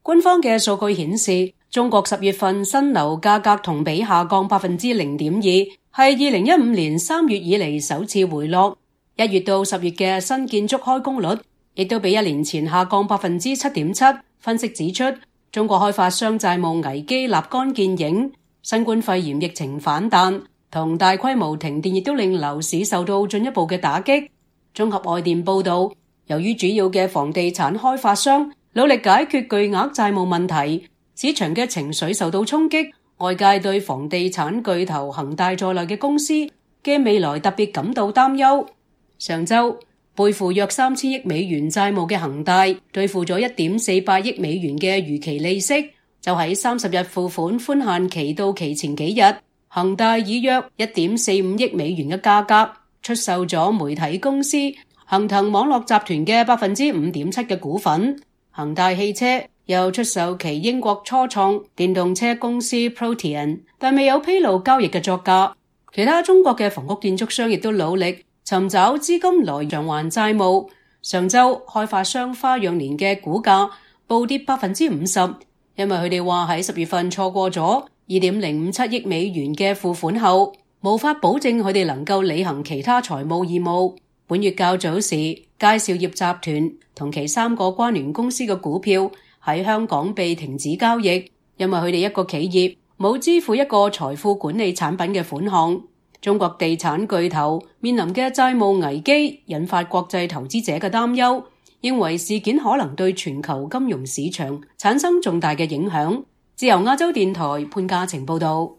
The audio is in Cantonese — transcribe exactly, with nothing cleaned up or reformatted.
官方嘅數據顯示，中國十月份新樓價格同比下降百分之零點二，係二零一五年三月以嚟首次回落。一月到十月嘅新建築開工率亦都比一年前下降百分之七點七。分析指出，中國開發商債務危機立竿見影，新冠肺炎疫情反彈同大規模停電亦都令樓市受到進一步嘅打擊。綜合外電報道，由於主要嘅房地產開發商努力解決巨額債務問題，市場嘅情緒受到衝擊，外界對房地產巨頭恒大在內嘅公司嘅未來特別感到擔憂。上週，背負約三千億美元債務嘅恒大兌付咗一點四八億美元嘅逾期利息，就喺三十日付款寬限期到期前幾日，恒大以約一點四五億美元嘅價格出售咗媒體公司恒騰網絡集團嘅百分之五點七嘅股份。恒大汽車又出售其英國初創電動車公司 Protean， 但未有披露交易嘅作價。其他中國嘅房屋建築商亦都努力尋找資金來償還債務。上週開發商花樣年嘅股價暴跌百分之五十，因為佢哋話喺十月份錯過咗二點零五七億美元嘅付款後，無法保證佢哋能夠履行其他財務義務。本月較早時，佳兆業集團同其三個關聯公司嘅股票喺香港被停止交易，因為佢哋一個企業冇支付一個財富管理產品嘅款項。中國地產巨頭面臨嘅債務危機引發國際投資者嘅擔憂，認為事件可能對全球金融市場產生重大嘅影響。自由亞洲電台潘嘉晴報道。